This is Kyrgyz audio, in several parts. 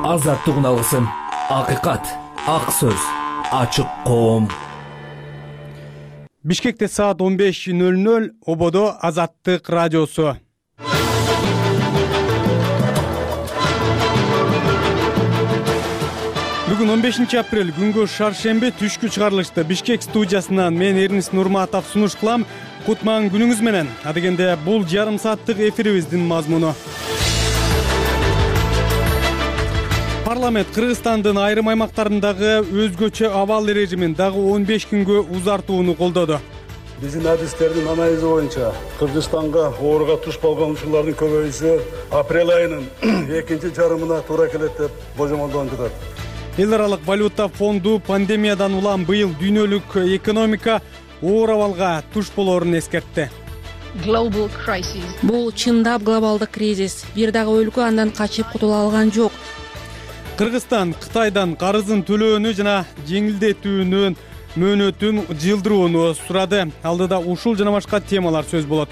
азаттык үналгысын, акыйкат, ак сөз, ачык коом. Бишкекте саат 15:00, ободо Азаттык радиосу. Бүгүн 15 апрель, күнгө шаршемби, түшкү чыгарылышты. Бишкек студиясынан мен Эрнис Нурматов сунуш кылам. Кутман күнүңүз менен. Адегенде бул жарым сааттык эфирибиздин мазмуну. Парламент Кыргызстандын айрым аймактарындагы өзгөчө абал режимин дагы 15 күнгө узартууну колдоду. Биздин адистердин анализи боюнча Кыргызстанга ооруга туш болгон учурлардын көбөйүүсү апрель айынын экинчи жарымына туура келет деп божомолдонуп жатат. Эл аралык валюта фонду пандемиядан улам быйыл дүйнөлүк экономика оор абалга туш болоорун эскертти. Бул чындап глобалдык кризис. Бир дагы өлкө андан качып кутула алган жок. Кыргызстан Кытайдан карызын төлөөнү жана жеңилдетүүнүн мөөнөтүн жылдырууну сурады. Алдыда ушул жана башка темалар сөз болот.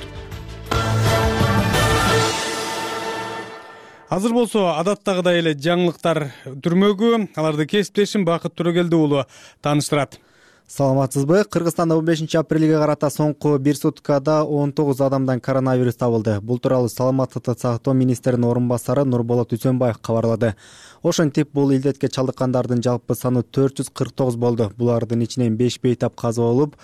Азыр болсо адаттагыдай эле жаңылыктар түрмөгү. Аларды кесиптешим Бакыт Төрөгелди уулу тааныштырат. Саламатсызбы? Кыргызстанда 15 апрелге карата соңку бир суткада 19 адамдан коронавирус табылды. Бул тууралуу Саламаттыкты сактоо министринин орун басары Нурболот Үсөнбаев кабарлады. Ошентип, бул илдетке чалдыккандардын жалпы саны 449 болду. Булардын ичинен 5 бейтап каза болуп,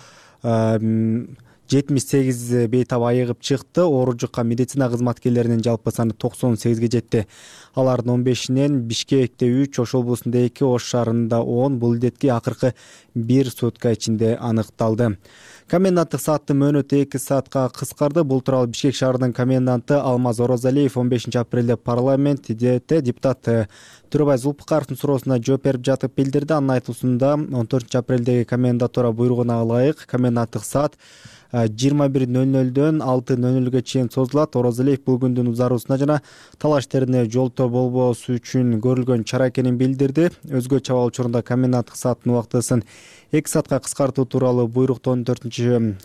78 бейтап айыгып чыкты. Оору жуккан медицина кызматкерлеринин жалпы саны 98ге жетти. Алардын 15-инен Бишкекте 3, Ош облусунда 2, Ош шаарында 10 бул илдетке акыркы бир сутка ичинде аныкталды. Коменданттык сааттын мөөнөтү 2 саатка кыскарды. Бул тууралуу Бишкек шаарынын коменданты Алмаз Орозалиев 15 апрелде парламентте депутат Төрөбай Зулпукаровдун суроосуна жооп берип жатып билдирди. Анын айтуусунда 14 апрелдеги комендатура буйругуна ылайык коменданттык саат 21:00дөн 6:00га чейин созулат. Орозалиев бул күндүн узаруусуна жана талаш терине жолтоо болбоосу үчүн көрүлгөн чара экенин билдирди. Өзгөчө абал учурунда коменданттык сааттын убактысын 2 саатка кыскартуу тууралуу буйрукту 14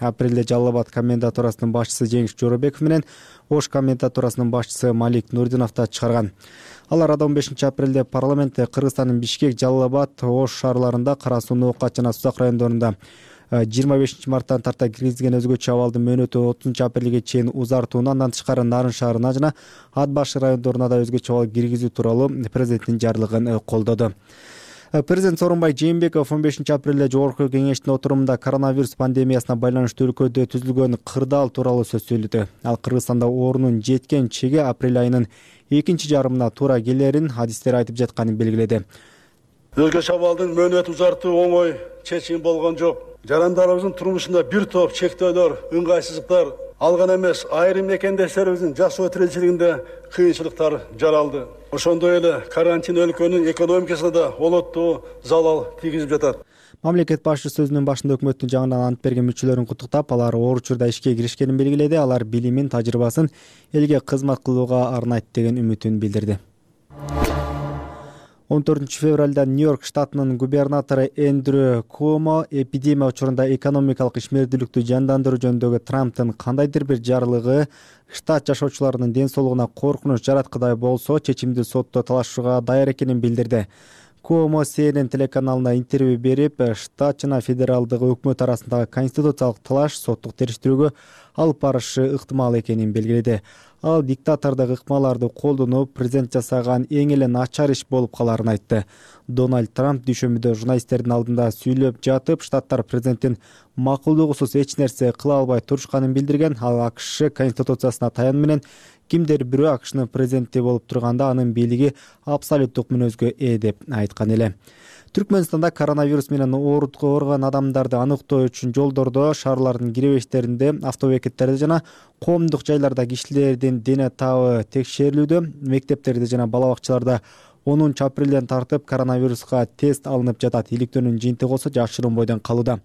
апрелде Жалал Абад комендатурасынын башчысы Жеңиш Жоробеков менен Ош комендатурасынын башчысы Малик Нурдинов да чыгарган. Алар 15 апрелде парламентте Кыргызстандын Бишкек, Жалал Абад, Ош шаарларында, Кара Суу, Ноокат жана Сузак райондорунда 25 марттан тарта киргизилген өзгөчө абалдын мөөнөтү 30 апрелге чейин узартууну, андан тышкары Нарын шаарына жана Ат Башы райондоруна да өзгөчө абал киргизүү тууралуу президенттин жарлыгын колдоду. Президент Сооронбай Жээнбеков 15 апрелде Жогорку кеңештин отурумунда коронавирус пандемиясына байланыштуу өлкөдө түзүлгөн кырдаал тууралуу сөз сөйлөдү. Ал Кыргызстанда оорунун жеткен чеги апрель айынын экинчи жарымына туура келерин адистер айтып жатканын белгиледи. Өзгөчө абалдын мөөнөтү узартуу оңой чечим болгон жок. Жарандарыбыздын турмушунда бир топ чектөөлөр, ыңгайсыздыктар алган эмес, айрым мекендештерибиздин жашоо тиричилигинде кыйынчылыктар жаралды. Ошондой эле карантин өлкөнүн экономикасына да олоттуу залал тийгизип жатат. Мамлекет башчысы сөзүнүн башында өкмөттүн жаңыдан ант берген мүчөлөрүн куттуктап, алар оор учурда ишке киришкенин белгиледи. Алар билимин, тажрыйбасын элге кызмат кылууга арнайт деген үмүтүн билдирди. 14 февралда Нью-Йорк штатынын губернатору Эндрю Куомо эпидемия учурунда экономикалык ишмердүүлүктү жандандыруу жөнүндөгү Трамптын кандайдыр бир жарлыгы штат жашоочуларынын ден соолугуна коркунуч жараткыдай болсо, чечимди сотто талашууга даяр экенин билдирди. Куомо CNN телеканалына интервью берип, штат жана федералдык өкмөт арасындагы конституциялык талаш соттук териштирүүгө алып барышы ыктымал экенин белгиледи. Ал диктатордук ыкмаларды колдонуп, президент жасаган эң эле начар иш болуп калаарын айтты. Дональд Трамп дүйшөмбүдө журналисттердин алдында сүйлөп жатып, штаттар президенттин макулдугусуз эч нерсе кыла албай турушканын билдирген. Ал АКШ конституциясына таянуу менен кимдир бирөө АКШнын президенти болуп турганда анын бийлиги абсолюттук мүнөзгө ээ деп айткан эле. Түркмөнстанда коронавирус менен ооруган адамдарды аныктоо үчүн жолдордо, шаарлардын киребештеринде, автобекеттерде жана коомдук жайларда кишилердин дене табы текшерилүүдө. Мектептерде жана бала бакчаларда 10 апрелден тартып коронавируска тест алынып жатат. Иликтөөнүн жыйынтыгы болсо жашыруун бойдон калууда.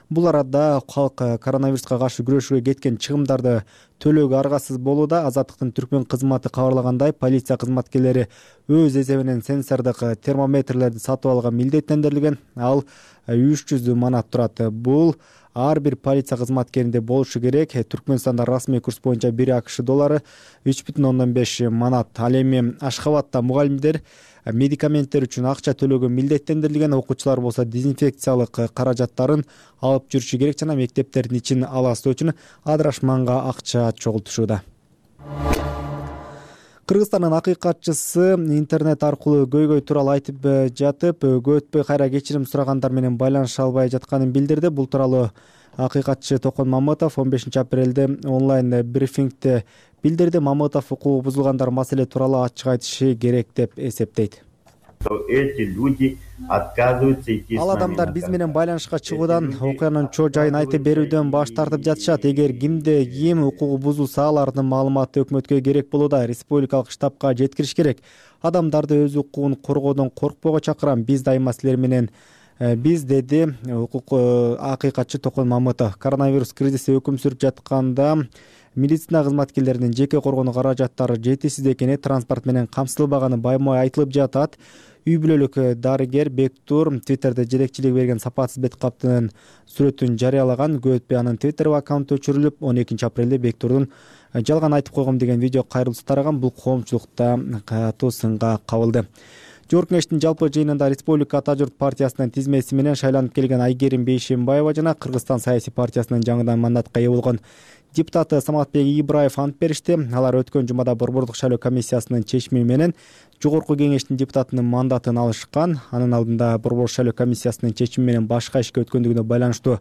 Бул арада калк коронавируска каршы күрөшүүгө кеткен чыгымдарды төлөөгө аргасыз болууда. Азаттыктын Түркмөн кызматы кабарлагандай, полиция кызматкерлери өз эсебинен сенсордук термометрлерди сатып алууга милдеттендирилген. Ал 300 манат турат. Бул ар бир полиция кызматкеринде болушу керек. Түркмөнстанда расмий курс боюнча 1 АКШ доллары 3,5 манат. Ал эми Ашхабадта мугалимдер медикаменттер үчүн акча төлөгө милдеттендирилген, окуучулар болсо дезинфекциялык каражаттарын алып жүрүшү керек жана мектептердин ичин аластоо үчүн адырашманга акча чогултушууда. Кыргызстандын акыйкатчысы интернет аркылуу көйгөй тууралуу айтып жатып, көп өтпөй кайра кечирим сурагандар менен байланыша албай жатканын билдирди. Бул тууралуу акыйкатчы Токон Мамытов 15 апрелде онлайн брифингде билдирди. Мамытов укугу бузулгандар маселе тууралуу ачык айтышы керек деп эсептейт. Эти люди отказываются идти. Ал адамдар биз менен байланышка чыгуудан, окуянын чоо жайын айтып берүүдөн баш тартып жатышат. Эгер кимде ким укугу бузулса, алардын маалыматы өкмөткө керек болууда. Республикалык штабка жеткириш керек. Адамдарды өз укугун коргоодон коркпоого чакырам. Биз дайыма силер менен биз, деди укук акыйкатчы Токон Мамытов. Коронавирус кризиси өкүм сүрүп жатканда медицина кызматкерлеринин жеке коргонуу каражаттары жетишсиз экени, транспорт менен камсыздалбаганы байма-бай айтылып жатат. Үй бүлөлүк дарыгер Бектур Твиттерде жетекчилик берген сапатсыз бет каптын сүрөтүн жарыялаган. Көп өтпөй анын Твиттер аккаунту өчүрүлүп, 12 апрелде Бектурдун жалган айтып койгом деген видео кайрылуусу тараган. Бул коомчулукта катуу сынга кабылды. Жогорку Кеңештин жалпы жыйынында Республика Ата журт партиясынын тизмеси менен шайланып келген Айгерим Бейшембаева жана Кыргызстан саясий партиясынын жаңыдан мандатка ээ болгон депутаты Саматбек Ибраев ант беришти. Алар өткөн жумада Борбордук шайлоо комиссиясынын чечими менен Жогорку Кеңештин депутатынын мандатын алышкан. Анын алдында Борбордук шайлоо комиссиясынын чечими менен башка ишке өткөндүгүнө байланыштуу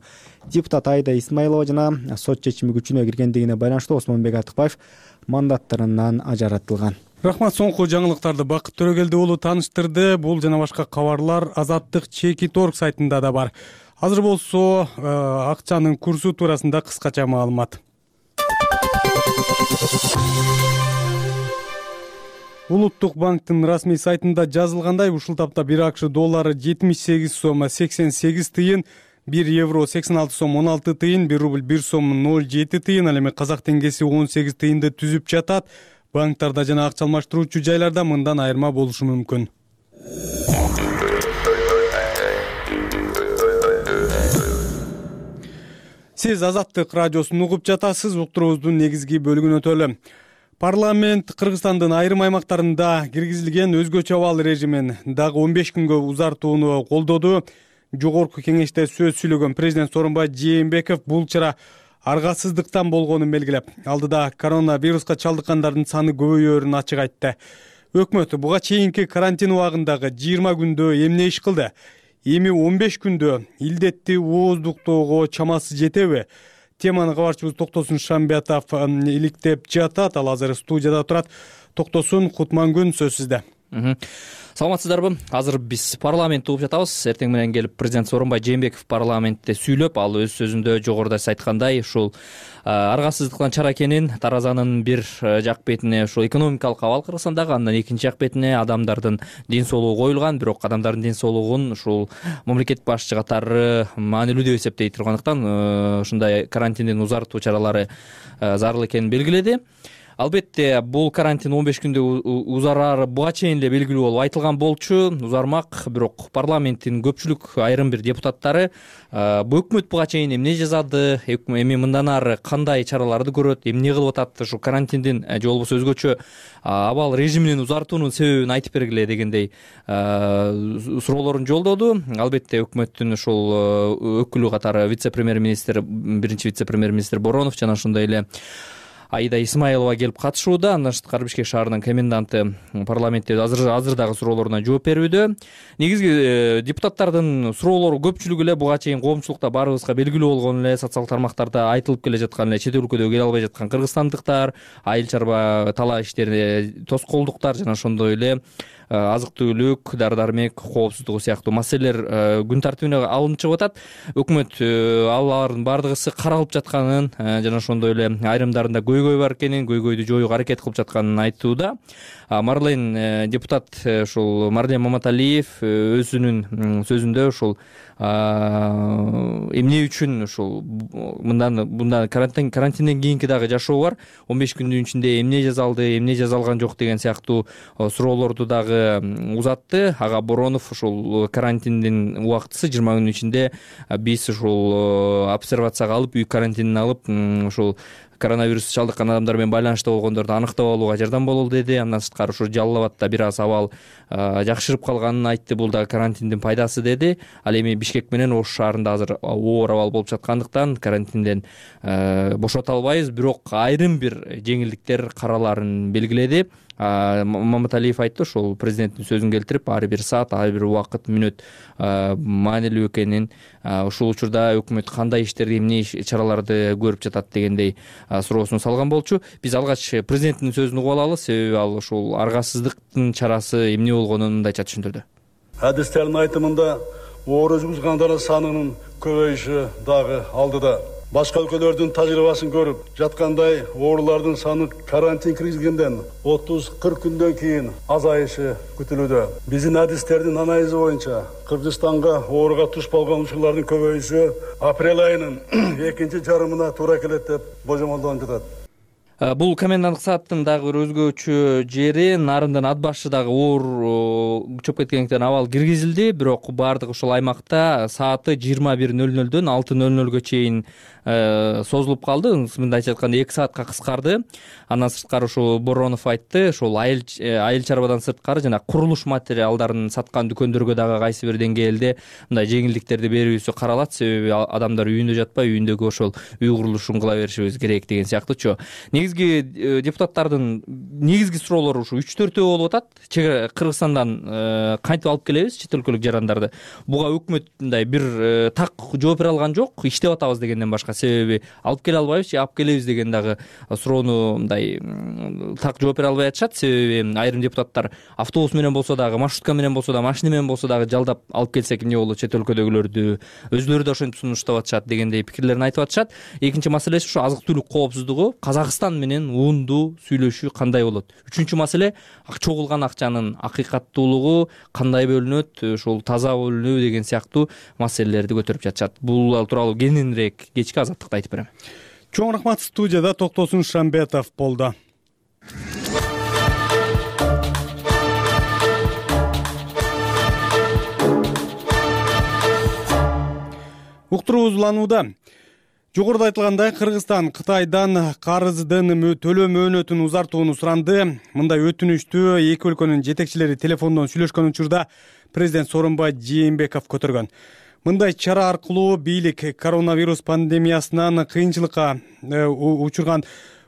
депутат Айда Исмаилова жана сот чечими күчүнө киргендигине байланыштуу Осмонбек Артыкбаев мандаттарынан ажыратылган. Рахмат. Соңку жаңылыктарды Бакыт Төрөгелди уулу тааныштырды. Бул жана башка кабарлар Азаттык Чекит.org сайтында да бар. Азыр болсо акчанын курсу туурасында кыскача маалымат. Улуттук банктын расмий сайтында жазылгандай, ушул тапта 1 АКШ доллары 78 сом 88 тыйын, 1 евро 86 сом 16 тыйын, 1 рубль 1 сом 07 тыйын, ал эми казак теңгеси 18 тыйынды түзүп жатат. Банктарда жана акча алмаштыруучу жайларда мындан айырма болушу мүмкүн. Сиз Азаттык радиосун угуп жатасыз. Уктуруубуздун негизги бөлүгүнө өтөлү. Парламент Кыргызстандын айрым аймактарында киргизилген өзгөчө абал режимин дагы 15 күнгө узартууну колдоду. Жогорку Кеңеште сөз сүйлөгөн президент Сооронбай Жээнбеков бул чара аргасыздыктан болгонун белгилеп, алдыда коронавируска чалдыккандардын саны көбөйөөрүн ачык айтты. Өкмөт буга чейинки карантин убагындагы 20 күндө эмне иш кылды? Эми 15 күндө илдетти ооздуктоого чамасы жетеби? Теманы кабарчыбыз Токтосун Шамбиатов иликтеп жатат. Ал азыр студияда турат. Токтосун, Кутмангүн, сөз сизде. Саламатсыздарбы? Азыр биз парламентти угуп жатабыз. Эртең менен келип президент Сооронбай Жээнбеков парламентте сүйлөп, ал өз сөзүндө жогоруда сиз айткандай ушул аргасыздыктан чара экенин, таразанын бир жак бетине ушул экономикалык абал Кыргызстандагы, андан экинчи жак бетине адамдардын ден соолугу коюлган, бирок адамдардын ден соолугун ушул мамлекет башчы катары маанилүү деп эсептей тургандыктан ушундай карантиндин узартуу чаралары зарыл экенин белгиледи. Албетте, бул карантин 15 күндө узарары буга чейин эле белгилүү болуп айтылган болчу, узармак, бирок парламенттин көпчүлүк айрым бир депутаттары өкмөт буга чейин эмне жасады, эми мындан ары кандай чараларды көрөт, эмне кылып атат, ушу карантиндин же болбосо өзгөчө абал режиминин узартуунун себебин айтып бергиле дегендей суроолорун жолдоду. Албетте, өкмөттүн ушул өкүлү катары вице-премьер-министр, биринчи вице-премьер-министр Боронов жана ошондой эле Айда Исмаилова келип катышууда. Андан тышкары Бишкек шаарынын коменданты парламентте азыр дагы суроолоруна жооп берүүдө. Негизги депутаттардын суроолору көпчүлүгү эле буга чейин коомчулукта баарыбызга белгилүү болгон эле, социалдык тармактарда айтылып келе жаткан эле, чет өлкөдө келе албай жаткан кыргызстандыктар, айыл чарба талаа иштерине тоскоолдуктар жана ошондой эле азык-түлүк, дары-дармек коопсуздугу сыяктуу маселелер күн тартибине алынып чыгып атат. Өкмөт алардын бардыгысы каралып жатканын жана ошондой эле айрымдарында көйгөй бар экенин, көйгөйдү жоюуга аракет кылып жатканын айтууда. Марлен депутат ушул Марлен Маматалиев өзүнүн сөзүндө ушул эмне үчүн ушул мындан карантинден кийинки дагы жашоо бар, 15 күндүн ичинде эмне жасалды, эмне жасалган жок деген сыяктуу суроолорду дагы узатты. Ага Боронов ушул карантиндин убактысы 20 күндүн ичинде биз ушул обсервацияга алып, үй карантинине алып, ушул коронавирус чалдыккан адамдар менен байланышта болгондорду аныктап алууга жардам бололу деди. Андан сырткары ушу Жалал абадда бир аз абал жакшырып калганын айтты. Бул дагы карантиндин пайдасы деди. Ал эми Бишкек менен Ош шаарында азыр оор абал болуп жаткандыктан карантинден бошото албайбыз, бирок айрым бир жеңилдиктер караларын белгиледи. Маматалиев айтты, ошол президенттин сөзүн келтирип, ар бир саат, ар бир убакыт, мүнөт маанилүү экенин, ушул учурда өкмөт кандай иштерди, эмне чараларды көрүп жатат дегендей суроосун салган болчу. Биз алгач президенттин сөзүн угуп алалы, себеби ал ушул аргасыздыктын чарасы эмне болгонун мындайча түшүндүрдү. Адистердин айтымында оор жүргүзгөндөрдүн санынын көбөйүшү дагы алдыда. Башка өлкөлөрдүн тажрыйбасын көрүп жаткандай, оорулардын саны карантин киргизилгенден 30-40 күндөн кийин азайышы күтүлүүдө. Биздин адистердин анализи боюнча Кыргызстанга ооруга туш болгон учурлардын көбөйүшү апрель айынын экинчи жарымына туура келет деп божомолдонуп жатат. Бул коменданттык сааттын дагы бир өзгөчө жери, нарындан ат башы дагы оор чөп кеткендиктен абал киргизилди, бирок баардык ушул аймакта сааты 21:00дөн 6:00га чейин созулуп калды. Мындайча айтканда 2 саатка кыскарды. Андан сырткары ушул Боронов айтты, ушул айыл чарбадан сырткары жана курулуш материалдарын саткан дүкөндөргө дагы кайсы бир деңгээлде мындай жеңилдиктерди берүүсү каралат, себеби адамдар үйүндө жатпай, үйүндөгү ошол үй курулушун кыла беришибиз керек деген сыяктуучу. Негизги депутаттардын негизги суроолору ушу 3-4 болуп атат. Кыргызстандан кантип алып келебиз чет өлкөлүк жарандарды? Буга өкмөт мындай бир так жооп бере алган жок, иштеп атабыз дегенден башка. Себеби алып келе албайбыз же алып келебиз деген дагы суроону мындай так жооп бере албай атышат. Себеби айрым депутаттар автобус менен болсо дагы, маршрутка менен болсо дагы, машина менен болсо дагы жалдап алып келсек эмне болот, чет өлкөдөгүлөрдү өзүлөрү да ошентип сунуштап атышат дегендей пикирлерин айтып атышат. Экинчи маселеси ушу азык-түлүк коопсуздугу. Казакстан менен унду сүйлөшүү кандай болот? Үчүнчү маселе чогулган акчанын акыйкаттуулугу кандай бөлүнөт, ушул таза бөлүнүү деген сыяктуу маселелерди көтөрүп жатышат. Бул тууралуу кененирээк кечки Азаттыкта айтып берем. Чоң рахмат. Студияда Токтосун Шамбетов болду. Уктуруубуз уланууда. Жогоруда айтылгандай, Кыргызстан Кытайдан карыздын төлөө мөөнөтүн узартууну суранды. Мындай өтүнүштү эки өлкөнүн жетекчилери телефондон сүйлөшкөн учурда президент Сооронбай Жээнбеков көтөргөн. Мындай чара аркылуу бийлик коронавирус пандемиясынан кыйынчылыкка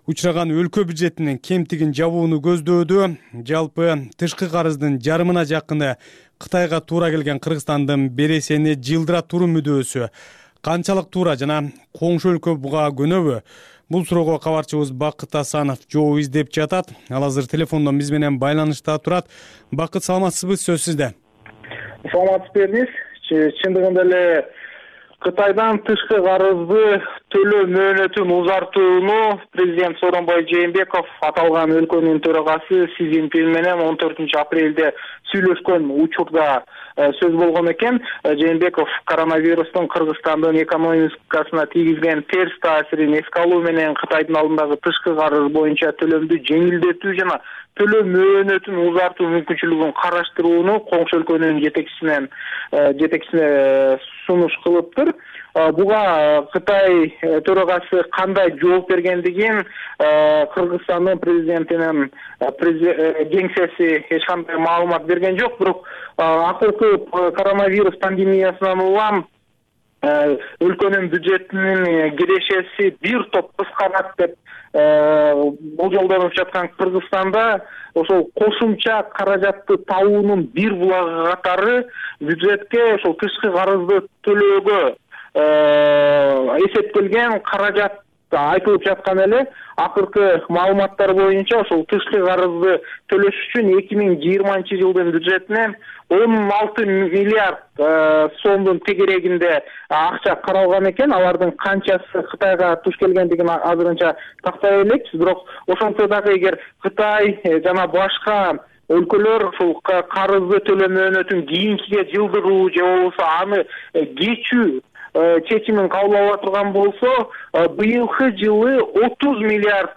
учураган өлкө бюджетинин кемтигин жабууну көздөөдү. Жалпы тышкы карыздын жарымына жакыны Кытайга туура келген Кыргызстандын бересени жылдыра туруу мүдөөсү канчалык туура жана коңшу өлкө буга көнөбү? Бул суроого кабарчыбыз Бакыт Асанов жооп издеп жатат. Ал азыр телефондон биз менен байланышта турат. Бакыт, саламатсызбы? Сөз сизде. Саламатсызбы. Чындыгында эле Кытайдан тышкы карызды төлөө мөөнөтүн узартууну президент Сооронбай Жээнбеков аталган өлкөнүн төрагасы Си Цзиньпин менен 14 апрелде сүйлөшкөн учурда сөз болгон экен. Жээнбеков коронавирустун Кыргызстандын экономикасына тийгизген терс таасирин эске алуу менен Кытайдын алдындагы тышкы карыз боюнча төлөмдү жеңилдетүү жана төлөө мөөнөтүн узартуу мүмкүнчүлүгүн караштырууну коңшу өлкөнүн жетекчисине сунуш кылыптыр. Буга Кытай төрагасы кандай жооп бергендигин Кыргызстандын президентинин кеңсеси эч кандай маалымат берген жок, бирок акыркы коронавирус пандемиясынан улам өлкөнүн бюджетинин кирешеси бир топ кыскарат деп болжолдонуп жаткан Кыргызстанда ошол кошумча каражатты табуунун бир булагы катары бюджетке ошол тышкы карызды төлөөгө эсептелген каражат айтылып жаткан эле. Акыркы маалыматтар боюнча ошол тышкы карызды төлөш үчүн 2020-жылдын бюджетинен 16 миллиард сомдун тегерегинде акча каралган экен. Алардын канчасы Кытайга туш келгендигин азырынча тактай элекпиз, бирок ошентсе дагы эгер Кытай жана башка өлкөлөр ушул карызды төлөө мөөнөтүн кийинкиге жылдыруу же болбосо аны кечүү чечимин кабыл ала турган болсо, быйылкы жылы 30 миллиард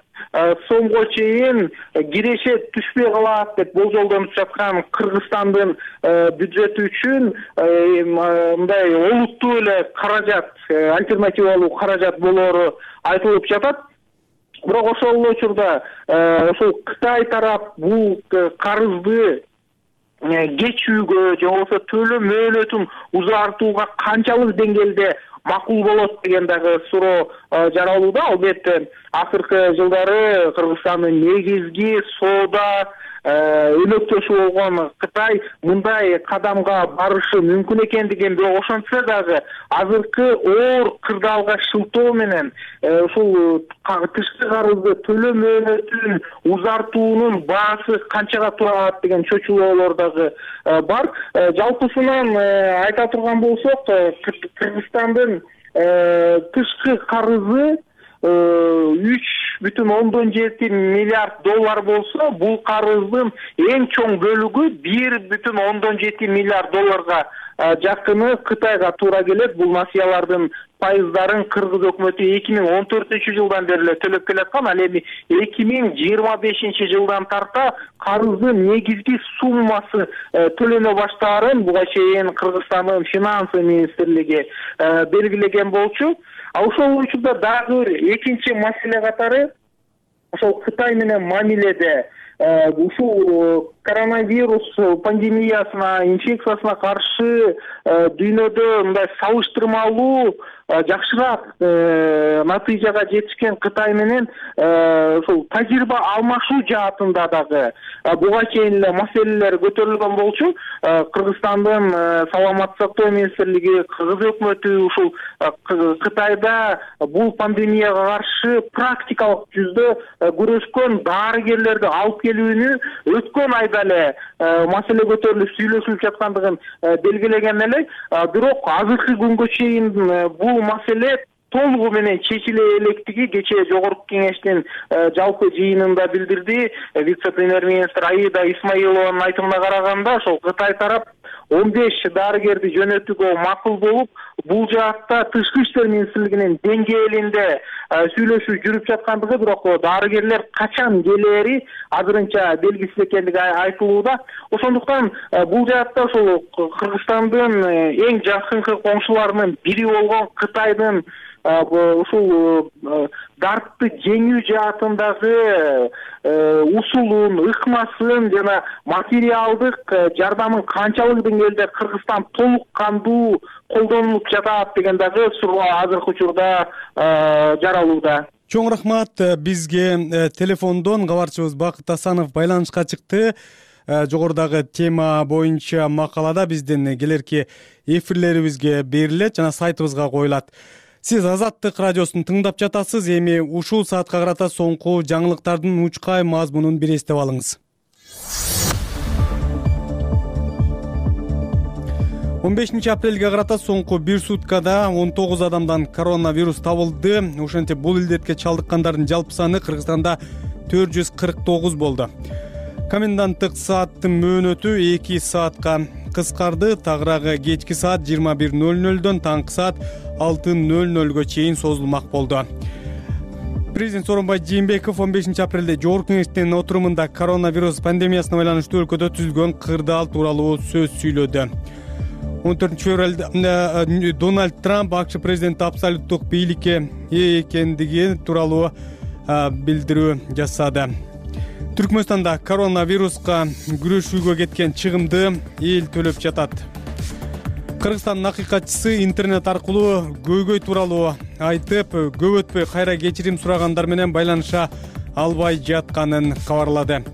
сомго чейин кирешет түшпөй калат деп болжолдонуп жаткан Кыргызстандын бюджети үчүн мындай олуттуу эле каражат, альтернативалуу каражат болоору айтылып жатат. Бирок ошол эле учурда ошол Кытай тарап бул карызды кечүүгө же болбосо төлөө мөөнөтүн узартууга канчалык деңгээлде макул болот деген дагы суроо жаралууда. Албетте акыркы жылдары Кыргызстандын негизги соода өнөктөшү болгон Кытай мындай кадамга барышы мүмкүн экендигин, бирок ошентсе дагы азыркы оор кырдаалга шылтоо менен ушул тышкы карызды төлөө мөөнөтүн узартуунун баасы канчага тура алат деген чочулоолор дагы бар. Жалпысынан айта турган болсок, Кыргызстандын тышкы карызы 3,7 миллиард доллар болсо, бул карыздын эң чоң бөлүгү 1,7 миллиард долларга жакыны Кытайга туура келет. Бул насыялардын пайыздарын Кыргыз өкмөтү 2014-жылдан бери эле төлөп келаткан. Ал эми 2025-жылдан тарта карыздын негизги суммасы төлөнө баштаарын буга чейин Кыргызстандын финансы министрлиги белгилеген болчу. Ошол учурда дагы экинчи маселе катары ошол Кытай менен мамиледе ушул коронавирус пандемиясына, инфекциясына каршы дүйнөдө мындай салыштырмалуу жакшыраак натыйжага жетишкен Кытай менен ушул тажрыйба алмашуу жаатында дагы буга чейин эле маселелер көтөрүлгөн болчу. Кыргызстандын саламаттык сактоо министрлиги, Кыргыз өкмөтү ушул Кытайда бул пандемияга каршы практикалык жүздө күрөшкөн дарыгерлерди алып келүүнү өткөн айда эле маселе көтөрүлүп сүйлөшүлүп жаткандыгын белгилеген эле. Бирок азыркы күнгө чейин бул маселе толугу менен чечиле электиги кечээ Жогорку Кеңештин жалпы жыйынында билдирди. Вице-премьер-министр Аида Исмаилованын айтымына караганда, ошол Кытай тарап 15 дарыгерди жөнөтүүгө макул болуп, бул жаатта Тышкы иштер министрлигинин деңгээлинде сүйлөшүү жүрүп жаткандыгы, бирок дарыгерлер качан келери азырынча белгисиз экендиги айтылууда. Ошондуктан бул жаатта ошол Кыргызстандын эң жакынкы коңшуларынын бири болгон Кытайдын ушул дартты жеңүү жаатындагы усулун, ыкмасын жана материалдык жардамын канчалык деңгээлде Кыргызстан толук кандуу колдонулуп жатат деген дагы суроо азыркы учурда жаралууда. Чоң рахмат. Бизге телефондон кабарчыбыз Бакыт Асанов байланышка чыкты. Жогорудагы тема боюнча макалада биздин келерки эфирлерибизге берилет жана сайтыбызга коюлат. Сиз Азаттык радиосун тыңдап жатасыз. Эми ушул саатка карата соңку жаңылыктардын учкай мазмунун бир эстеп алыңыз. 15 апрелге карата соңку бир суткада 19 адамдан коронавирус табылды. Ошентип бул илдетке чалдыккандардын жалпы саны Кыргызстанда 449 болду. Коменданттык сааттын мөөнөтү 2 саатка кыскарды. Тагыраагы кечки саат 21:00дөн таңкы саат 6:00га чейин созулмак болду. Президент Сооронбай Жээнбеков 15 апрелде Жогорку Кеңештин отурумунда коронавирус пандемиясына байланыштуу өлкөдө түзүлгөн кырдаал тууралуу сөз сүйлөдү. 14 февралда Дональд Трамп АКШ президенти абсолюттук бийликке ээ экендиги тууралуу билдирүү жасады. Түркмөнстанда коронавируска күрөшүүгө кеткен чыгымды эл төлөп жатат. Кыргызстандын акыйкатчысы интернет аркылуу көйгөй тууралуу айтып, көп өтпөй кайра кечирим сурагандар менен байланыша албай жатканын кабарлады.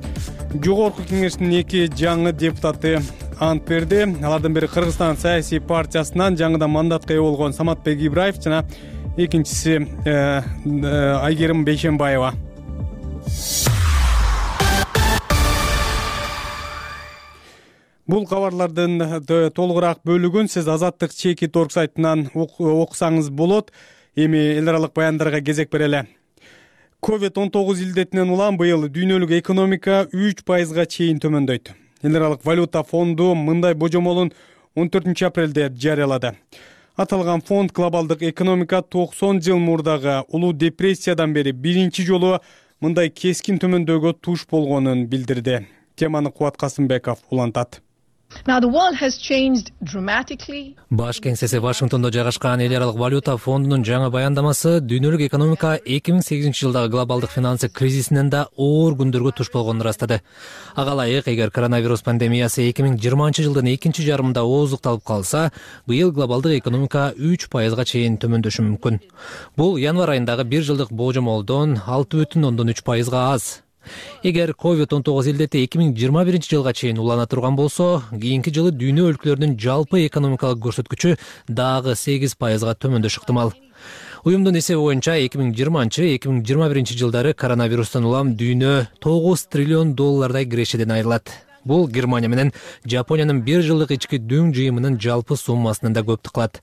Жогорку Кеңештин 2 жаңы депутаты ант берди. Алардын бири Кыргызстан саясий партиясынан жаңыдан мандатка ээ болгон Саматбек Ибраев жана экинчиси Айгерим Бейшенбаева. Бул кабарлардын толугураак бөлүгүн сиз Азаттык Чекит.org сайтынан окусаңыз болот. Эми эл аралык баяндарга кезек берели. COVID-19 илдетинен улам быйыл дүйнөлүк экономика 3%га чейин төмөндөйт. Эл аралык валюта фонду мындай божомолун 14-апрелде жарыялады. Аталган фонд глобалдык экономика 90 жыл мурдагы улуу депрессиядан бери биринчи жолу мындай кескин төмөндөөгө туш болгонун билдирди. Теманы Кубат Касымбеков улантат. Баш кеңсеси Вашингтондо жайгашкан эл аралык валюта фондунун жаңы баяндамасы дүйнөлүк экономика 2008-жылдагы глобалдык финансы кризисинен да оор күндөргө туш болгонун ырастады. Ага ылайык, эгер коронавирус пандемиясы 2020-жылдын экинчи жарымында ооздукталып калса, быйыл глобалдык экономика 3%га чейин төмөндөшү мүмкүн. Бул январь айындагы бир жылдык божомолдон 6,3% аз. Эгер COVID-19 илдети 2021-жылга чейин улана турган болсо, кийинки жылы дүйнө өлкөлөрүнүн жалпы экономикалык көрсөткүчү дагы 8%га төмөндөшү ыктымал. Уюмдун эсеби боюнча 2020-2021 жылдары коронавирустан улам дүйнө 9 триллион доллардай кирешеден айрылат. Бул Германия менен Жапониянын бир жылдык ички дүң жыйымынын жалпы суммасынан да көптү кылат.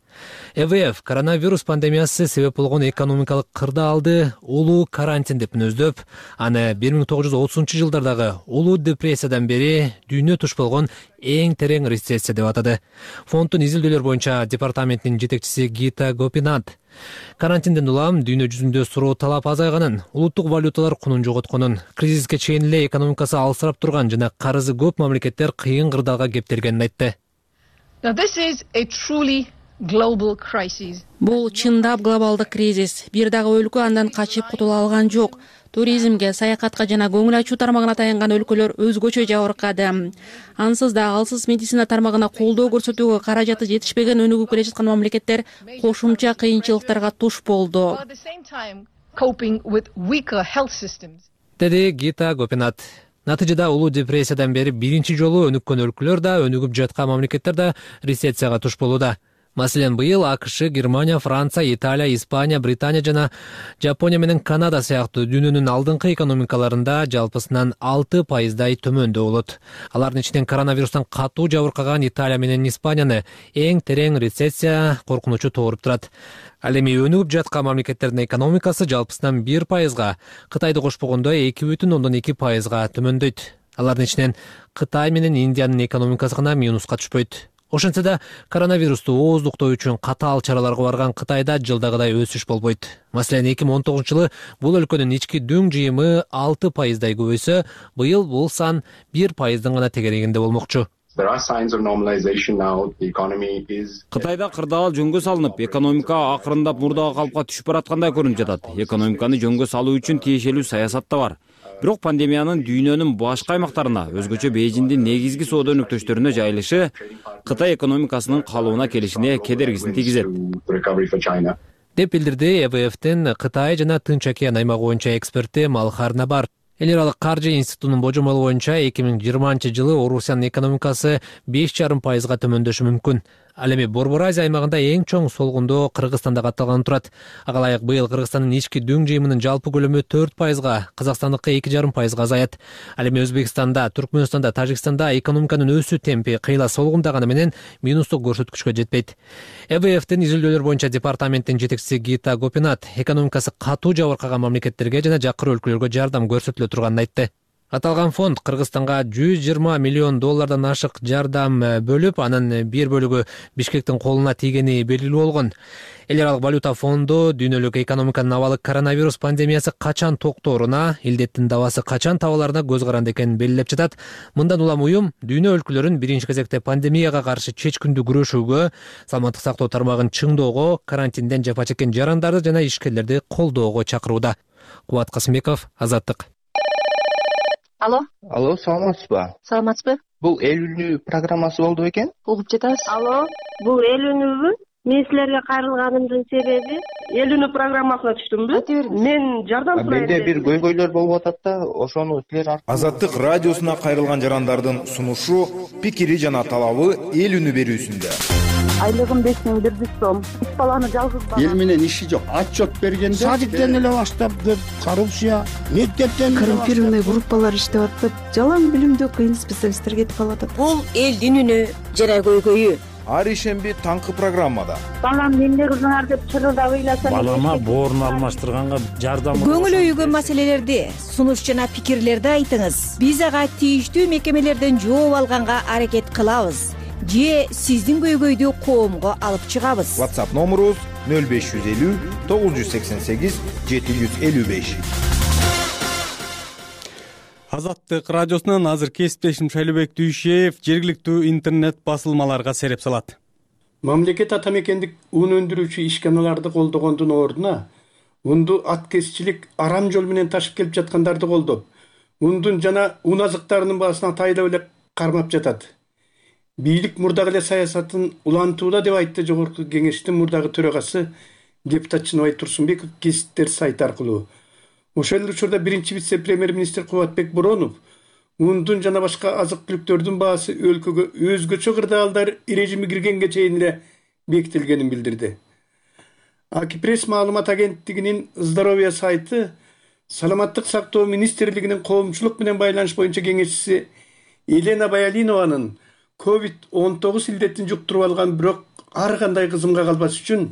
ЭВФ коронавирус пандемиясы себеп болгон экономикалык кырдаалды улуу карантин деп мүнөздөп, аны 1930-жылдардагы улуу депрессиядан бери дүйнө туш болгон эң терең рецессия деп атады. Фонддун изилдөөлөр боюнча департаментинин жетекчиси Гита Гопинат карантинден улам дүйнө жүзүндө суроо талап азайганын, улуттук валюталар кунун жоготконун, кризиске чейин эле экономикасы алсырап турган жана карызы көп мамлекеттер кыйын кырдаалга кептелгенин айтты. Бул чындап глобалдык кризис. Бир дагы өлкө андан качып кутула алган жок. Туризмге, саякатка жана көңүл ачуу тармагына таянган өлкөлөр өзгөчө жабыркады. Ансыз да алсыз медицина тармагына колдоо көрсөтүүгө каражаты жетишпеген өнүгүп келе жаткан мамлекеттер кошумча кыйынчылыктарга туш болду. Деди Гита Гопинат. Натыйжада улуу депрессиядан бери биринчи жолу өнүккөн өлкөлөр да, өнүгүп жаткан мамлекеттер да рецессияга туш болууда. Маселен, быйыл АКШ, Германия, Франция, Италия, Испания, Британия жана Жапония менен Канада сыяктуу дүйнөнүн алдыңкы экономикаларында жалпысынан 6%дай төмөндө болот. Алардын ичинен коронавирустан катуу жабыркаган Италия менен Испанияны эң терең рецессия коркунучу тооруп турат. Ал эми өнүгүп жаткан мамлекеттердин экономикасы жалпысынан 1%га, Кытайды кошпогондо 2,2%га төмөндөйт. Алардын ичинен Кытай менен Индиянын экономикасы гана минуска түшпөйт. Ошентсе да коронавирусту ооздуктоо үчүн катаал чараларга барган Кытайда жылдагыдай өсүш болбойт. Маселен, 2019-жылы бул өлкөнүн ички дүң жыйымы 6%дай көбөйсө, быйыл бул сан 1%дын гана тегерегинде болмокчу. Кытайда кырдаал жөнгө салынып, экономика акырындап мурдагы калыпка түшүп бараткандай көрүнүп жатат. Экономиканы жөнгө салуу үчүн тиешелүү саясат да бар. Бирок пандемиянын дүйнөнүн башка аймактарына, өзгөчө Бейжиңдин негизги соода өнөктөштөрүнө жайылышы Кытай экономикасынын калыбына келишине кедергисин тийгизет, деп билдирди ЭВФтин Кытай жана Тынч океан аймагы боюнча эксперти Малхар Набар. Эл аралык каржы институтунун божомолу боюнча 2020-жылы Орусиянын экономикасы 5,5%га төмөндөшү мүмкүн. Ал эми Борбор Азия аймагында эң чоң солгундоо Кыргызстанда катталган турат. Ага ылайык быйыл Кыргызстандын ички дүң жыйымынын жалпы көлөмү 4%га, Казакстандыкы 2,5%га азаят. Ал эми Өзбекстанда, Түркмөнстанда, Тажикстанда экономиканын өсүү темпи кыйла солгундаганы менен минустук көрсөткүчкө жетпейт. ЭВФтин изилдөөлөр боюнча департаменттин жетекчиси Гита Гопинат экономикасы катуу жабыркаган мамлекеттерге жана жакыр өлкөлөргө жардам көрсөтүлө турганын айтты. Аталган фонд Кыргызстанга 120 миллион доллардан ашык жардам бөлүп, анын бир бөлүгү Бишкектин колуна тийгени белгилүү болгон. Эл аралык валюта фонду дүйнөлүк экономиканын абалы коронавирус пандемиясы качан токтооруна, илдеттин дабасы качан табыларына көз каранды экенин белгилеп жатат. Мындан улам уюм дүйнө өлкөлөрүн биринчи кезекте пандемияга каршы чечкиндүү күрөшүүгө, саламаттык сактоо тармагын чыңдоого, карантинден жапа чеккен жарандарды жана ишкерлерди колдоого чакырууда. Кубат Касымбеков, Азаттык. Алло, саламатсызбы? Саламатсызбы? Бул эл үнү программасы болду бекен? Угуп жатабыз. Алло, бул эл үнүбү? Мен силерге кайрылганымдын себеби эл үнү программасына түштүмбү? Мен жардам сурайм. Менде бир көйгөйлөр болуп атат да, ошону силер Азаттык радиосуна кайрылган жарандардын сунушу, пикири жана талабы эл үнү берүүсүндө. Айлыгым 5100 сом. 3 баланы жалгыз бала. Эл менен иши жок. Отчет бергенде садиктен эле баштап деп коррупция, мектептен коррумпированный группалар иштеп атып, жалаң билимдүү кыйын специалисттер кетип калып атат. Бул элдин үнү жана көйгөйү. ар ишемби таңкы программада. Балам эмне кылдыңар деп чырылдап ыйласа, балама боорун алмаштырганга жардам. Көңүл өйгөн маселелерди, сунуш жана пикирлерди айтыңыз. Биз ага тийиштүү мекемелерден жооп алганга аракет кылабыз же сиздин көйгөйдү коомго алып чыгабыз. WhatsApp номерубуз 0550 988 755. Азаттык радиосунан азыр кесиптешим Шайлообек Дүйшеев жергиликтүү интернет басылмаларга сереп салат. Мамлекет ата мекендик ун өндүрүүчү ишканаларды колдогондун ордуна унду аткезчилик арам жол менен ташып келип жаткандарды колдоп, ундун жана ун азыктарынын баасына тайдап эле кармап жатат. Бийлик мурдагы эле саясатын улантууда деп айтты Жогорку Кеңештин мурдагы төрагасы депутат Чыныбай Турсунбеков кесиптер сайты аркылуу. Ошол эле учурда биринчи вице-премьер-министр Кубатбек Боронов ундун жана башка азык-түлүктөрдүн баасы өлкөгө өзгөчө кырдаалдар режими киргенге чейин эле бекитилгенин билдирди. Акипресс маалымат агенттигинин здоровье сайты Саламаттык сактоо министрлигинин коомчулук менен байланыш боюнча кеңешчиси Елена Баялинованын COVID-19 илдетин жуктуруп алган, бирок ар кандай кызымга калбаш үчүн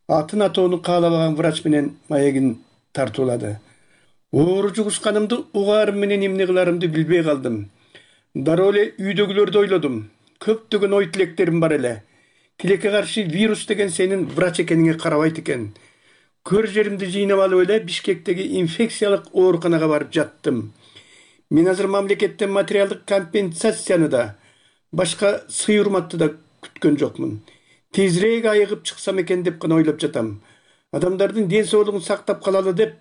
атын атоону каалабаган врач менен маегин тартуулады. Оору жугушканымды угаарым менен эмне кыларымды билбей калдым. Дароо эле үйдөгүлөрдү ойлодум. Көптөгөн ой тилектерим бар эле. Тилекке каршы вирус деген сенин врач экениңе карабайт экен. Көр жеримди жыйнап алып эле Бишкектеги инфекциялык ооруканага барып жаттым. Мен азыр мамлекеттен материалдык компенсацияны да, башка сый урматты да күткөн жокмун. Тезирээк айыгып чыксам экен деп гана ойлоп жатам. Адамдардын ден соолугун сактап калалы деп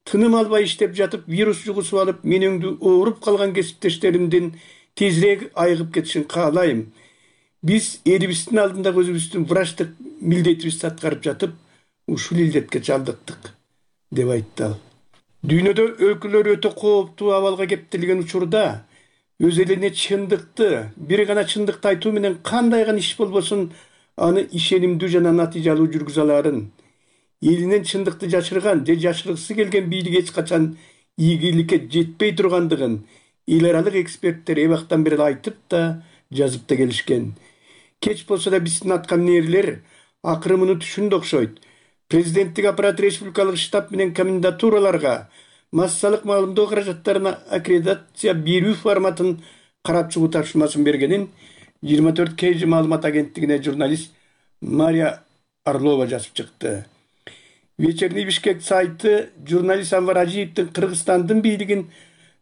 тыным албай иштеп жатып, вирус жугусуп алып, мен өңдү ооруп калган кесиптештеримдин тезирээк айыгып кетишин каалайм. Биз элибиздин алдында өзүбүздүн врачтык милдетибизди аткарып жатып, ушул илдетке чалдыктык, деп айтты ал. Дүйнөдө өлкөлөр өтө кооптуу абалга кептелген учурда өз элине чындыкты, бир гана чындыкты айтуу менен кандай гана иш болбосун, аны ишенимдүү жана натыйжалуу жүргүзө аларын. Элинен чындыкты жашырган же жашыргысы келген бийлик эч качан ийгиликке жетпей тургандыгын эл аралык эксперттер эбактан бери айтып да, жазып да келишкен. Кеч болсо да биздин аткаминерлер акыры муну түшүндү окшойт. Президенттик аппарат республикалык штаб менен комендатураларга массалык маалымдоо каражаттарына аккредитация берүү форматын карап чыгуу тапшырмасын бергенин 24 KG маалымат агенттигине журналист Мария Орлова жазып чыкты. Вечерний Бишкек сайты журналист Анвар Ажиевдин Кыргызстандын бийлигин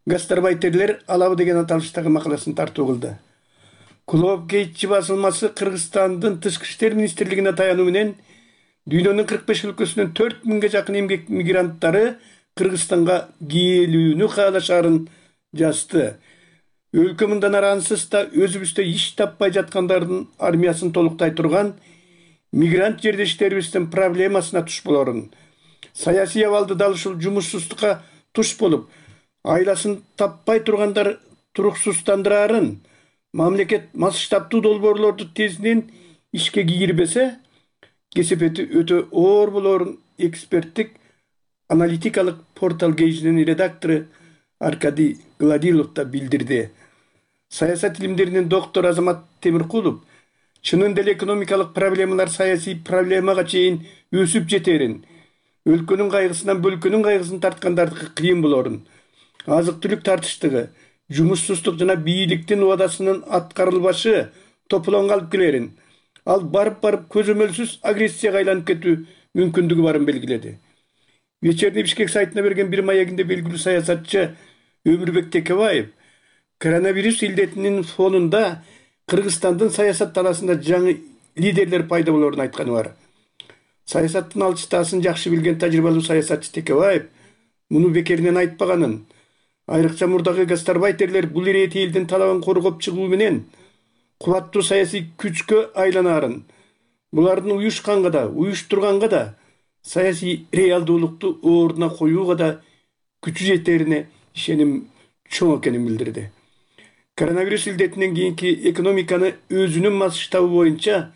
гастарбайтерлер алабы деген аталыштагы макаласын тартуу кылды. Клуб Гейтчи басылмасы Кыргызстандын тышкы иштер министрлигине таянуу менен дүйнөнүн 45 өлкөсүнөн 4000ге жакын эмгек мигранттары Кыргызстанга келүүнү каалашарын жазды. Өлкө мындан арансыз да өзүбүздө иш таппай жаткандардын армиясын толуктай турган мигрант жердештерибиздин проблемасына туш болорун. Саясий абалды дал ушул жумушсуздукка туш болуп, айласын таппай тургандар туруксуздандырарын, мамлекет масштабтуу долбоорлорду тезинен ишке кийирбесе, кесепети өтө оор болорун эксперттик аналитикалык портал Гейжинин редактору Аркадий Гладилов да билдирди. Саясат илимдеринин доктору Азамат Темиркулов чынын деле экономикалык проблемалар саясий проблемага чейин өсүп жетерин, өлкөнүн кайгысынан бөлкөнүн кайгысын тарткандардыкы кыйын болорун, азык-түлүк тартыштыгы, жумушсуздук жана бийликтин убадасынын аткарылбашы тополоңго алып келерин, ал барып көзөмөлсүз агрессияга айланып кетүү мүмкүндүгү барын белгиледи. Вечерний Бишкек сайтына берген бир маегинде белгилүү саясатчы Өмүрбек Текебаев коронавирус илдетинин фонунда Кыргызстандын саясат таласында жаңы лидерлер пайда болорун айтканы бар. Саясаттын алчытаасын жакшы билген тажрыйбалуу саясатчы Текебаев муну бекеринен айтпаганын, айрыкча мурдагы гастарбайтерлер бул ирети элдин талабын коргоп чыгуу менен кубаттуу саясий күчкө айланарын, булардын уюшканга да, уюштурганга да, саясий реалдуулукту ордуна коюуга да күчү жетерине ишеним чоң экенин билдирди. Коронавирус илдетинен кийинки экономиканы өзүнүн масштабы боюнча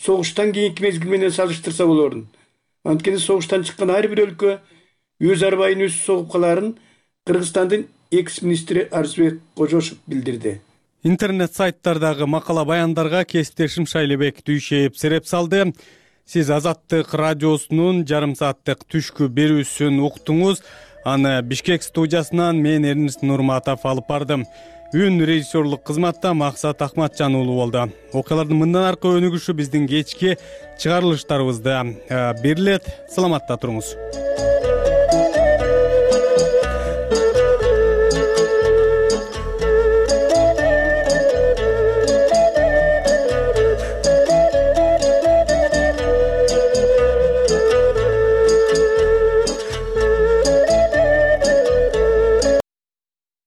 согуштан кийинки мезгил менен салыштырса болорун. Анткени согуштан чыккан ар бир өлкө өз арбайын өзү согуп каларын Кыргызстандын экс-министри Арзбек Кожошев билдирди. интернет сайттардагы макала баяндарга кесиптешим Шайлебек Дүйшеев сереп салды. Сиз Азаттык радиосунун жарым сааттык түшкү берүүсүн уктуңуз. Аны Бишкек студиясынан мен Эрнис Нурматов алып бардым. Үн режиссерлук кызматта Максат Акматжан уулу болду. Окуялардын мындан аркы өнүгүшү биздин кечки чыгарылыштарыбызда берилет. Саламатта туруңуз.